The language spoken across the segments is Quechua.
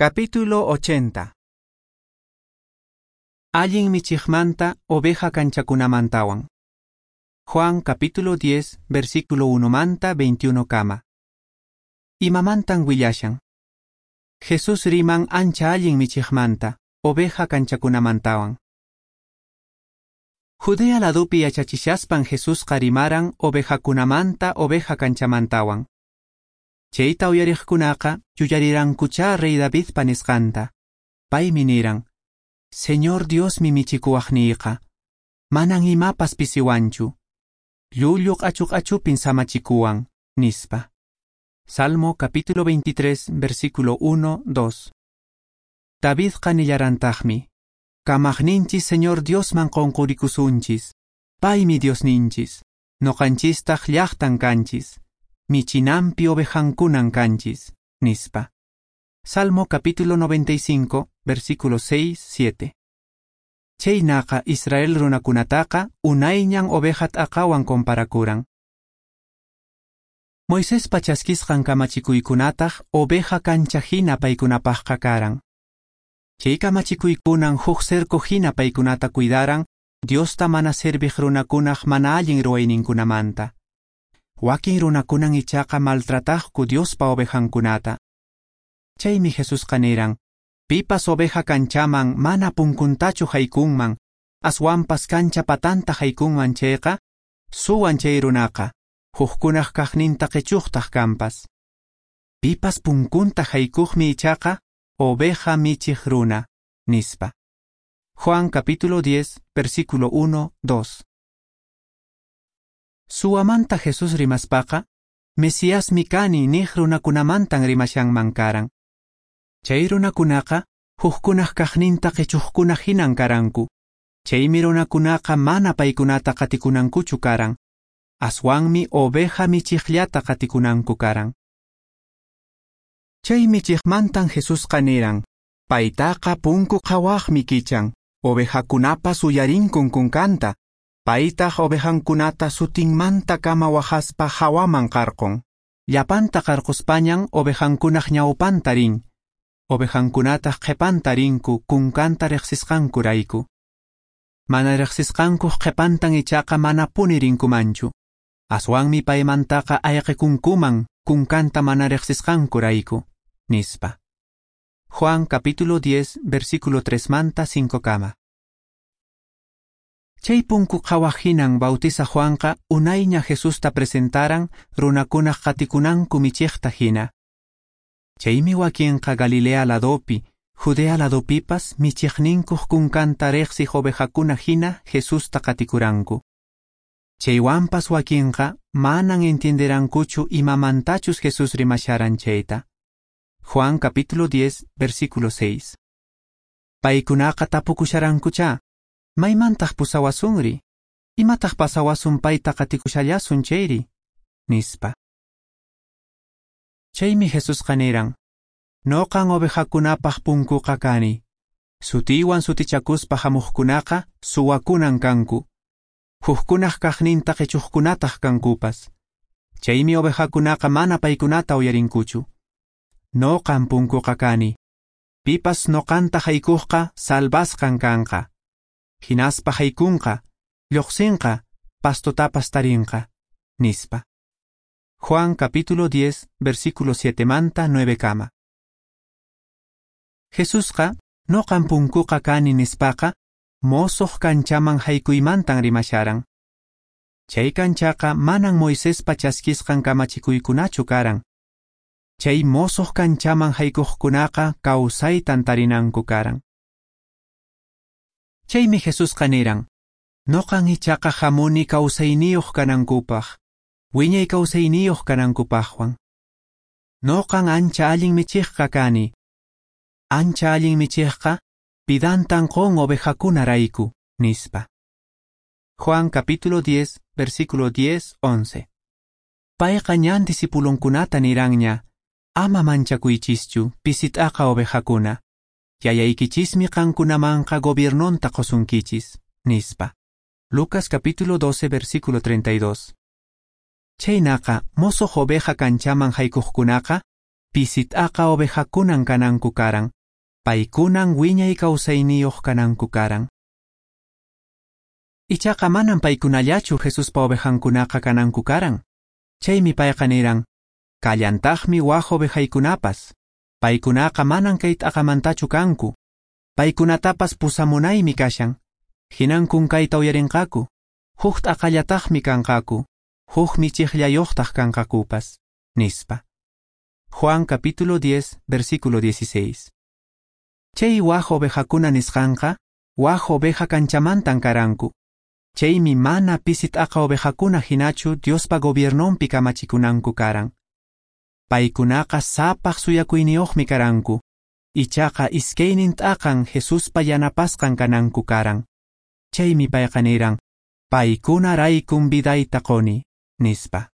Capítulo 80. Allin michiqmanta oveja kanchakunamantawan. Juan capítulo 10, versículo 1 manta 21 kama. Imamantan willashan. Jesús riman ancha allin michiqmanta, oveja kanchakunamantawan. Judea ladupi yachachishaspan Jesusqa rimaran ovejakunamanta oveja kanchamantawan. Chayta uyariqkunaqa yuyarirankuchá rey Davidpa nisqanta. Paymi niran: Señor Diosmi michikuwaqniyqa, manan imapas pisiwanchu. Llullu q'achu-q'achupin samachikuwan, nispa. Salmo capítulo 23, versículo 1, 2. Davidqa nillarantaqmi: Kamaqninchis Señor Diosman qunqurikusunchis, paymi Diosninchis, noqanchistaq llaqtan kanchis, michinampi ovejankunan kanchis, nispa. Salmo capítulo 95, versículo 6, 7. Chaynaqa Israel runakunataqa unayñan oveja t'aqawan comparakuran. Moisespa chaskisqan kamachikuykunataq oveja kancha hina paykunapaqqa karan. Chay kamachikuykunan huk cerco hina paykunata cuidaran Diosta mana serviq runakunaq mana allin ruwayninkunamanta. Wakin runakunan ichaqa maltrataqku Diospa ovejankunata. Chaymi Jesusqa niran: Pipas oveja kanchaman mana punkuntachu haykunman, aswanpas kancha patanta haykunman chayqa, suwan chay runaqa, hukkunaq kaqninta qichuqtaq kanpas. Pipas punkunta haykuqmi ichaqa, oveja michiq runa, nispa. Juan capítulo 10, versículo 1, 2. Suwamanta Jesús rimaspaqa, Mesíasmi kani niq runakunamantan rimashanman karan. Chay runakunaqa hukkunaq kaqninta qichuqkuna hinan karanku. Chaymi runakunaqa mana paykunata qatikunankuchu karan. Aswanmi oveja michiqllata qatikunanku karan. Chay michiqmantan Jesusqa niran: Paytaqa punku qhawaqmi kichan, ovejakunapas uyarinkun kunkanta, paytaq ovejankunata sutinmanta kama waqaspa hawaman qarqun. Llapanta qarquspañan ovejankunaq ñawpanta rin, ovejankunataq qhipanta rinku kunkanta riqsisqankurayku. Mana riqsisqankuq qhipantan ichaqa manapuni rinkumanchu. Aswanmi paymantaqa ayqikunkuman kunkanta mana riqsisqankurayku, nispa. Juan capítulo 10, versículo 3 manta 5 kama. Chay punku qhawaq hinan Bautizaq Juanqa unayña Jesusta presentaran runakunaq qatikunanku michiqta hina. Chaymi wakinqa Galilea ladopi, Judea ladopipas michiqninkuq kunkanta riqsiq ovejakuna hina Jesusta qatikuranku. Chaywanpas wakinqa manan entienderankuchu imamantachus Jesús rimasharan chayta. Juan capítulo 10, versículo 6. Paykunaqa tapukusharankuchá: Maymantaq pusawasunri? Imataq pasawasun payta qatikushallasun chayri? Nispa. Chaymi Jesusqa niran: Noqan ovejakunapaq punkuqa kani. Sutiywan sutichakuspa hamuqkunaqa suwakunan kanku. Hukkunaq kaqninta qichuqkunataq kankupas. Chaymi ovejakunaqa mana paykunata uyarinkuchu. Noqan punkuqa kani. Pipas noqanta haykuqqa salvasqan kanqa. Hinaspa haykunqa, lluqsinqa, pastotapas tarinqa, nispa. Juan capítulo 10, versículo 7 manta 9 kama. Jesusqa noqan punkuqa kani nispaqa, mosoq kanchaman haykuymantan rimasharan. Chay kanchaqa manan Moisespa chaskisqan kamachikuykunachu karan. Chay mosoq kanchaman haykuqkunaqa kawsaytan tarinanku karan. Chaymi Jesusqa niran: Noqan ichaqa hamuni kawsayniyuq kanankupaq, wiñay kawsayniyuq kanankupaqwan. Noqan ancha allin michiqqa kani. Ancha allin michiqqa vidantan qun ovejakunarayku, nispa. Juan capítulo 10, versículo 10, 11. Payqa ñan discipulonkunata niranña: Ama manchakuychischu, pisit'aqa ovejakuna. Yayaykichismi qankunamanqa gobiernonta qusunkichis, nispa. Lucas capítulo 12, versículo 32. Chaynaqa mosoq oveja kanchaman haykuqkunaqa Pisi t'aqa ovejakunan kananku karan, paykunan wiñay kawsayniyoq kananku karan. Ichaqa manan paykunallachu Jesuspa ovejankunaqa kananku karan. Chaymi payqa niran, kallantaqmi waj ovejaykunapas. Paykunaqa manan kay t'aqamantachu kanku. Paykunatapas pusamunaymi kashan. Hinan kunkayta uyarinqaku. Huk t'aqallataqmi kanqaku. Huk michiqllayoqtaq kanqakupas, nispa. Juan capítulo 10, versículo 16. Chay waj ovejakuna nisqanqa, waj oveja kanchamantan karanku. Chaymi mana pisi t'aqa ovejakuna hinachu Diospa gobiernonpi kamachikunanku karan. Paykunaqa sapaq suyakuyniyuqmi karanku. Ichaqa iskaynin t'aqan Jesuspa yanapasqan kananku karan. Chaymi payqa niran, paykunaraykun vidayta qoni, nispa.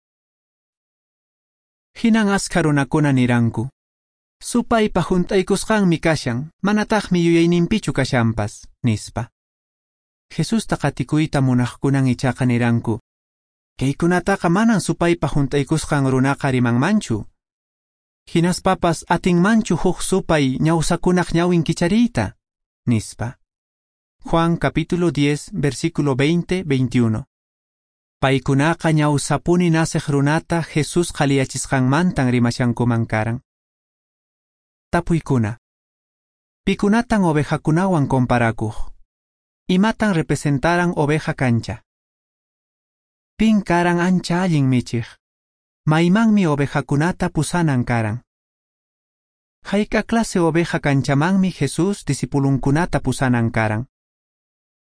Hinan askha runakuna niranku, supaypa hunt'aykusqanmi kashan, manataqmi yuyayninpichu kashanpas, nispa. Jesusta qatikuyta munaqkunan ichaqa niranku, kaykunataqa manan supaypa hunt'aykusqan runaqa rimanmanchu. Hinaspapas atinmanchu huk supay ñawsakunaq ñawin kichariyta, nispa. Juan capítulo 10, versículo 20-21. Paykunaqa ñawsapuni naceq runata Jesús qhaliyachisqanmantan rimashankuman karan. Tapuykuna. Pikunatan ovejakunawan comparakuq? Imatan representaran oveja kancha? Pin karan ancha allin michiq? Maymanmi ovejakunata pusanan karan? Hayk'a clase oveja kanchamanmi Jesús discipulunkunata pusanan karan?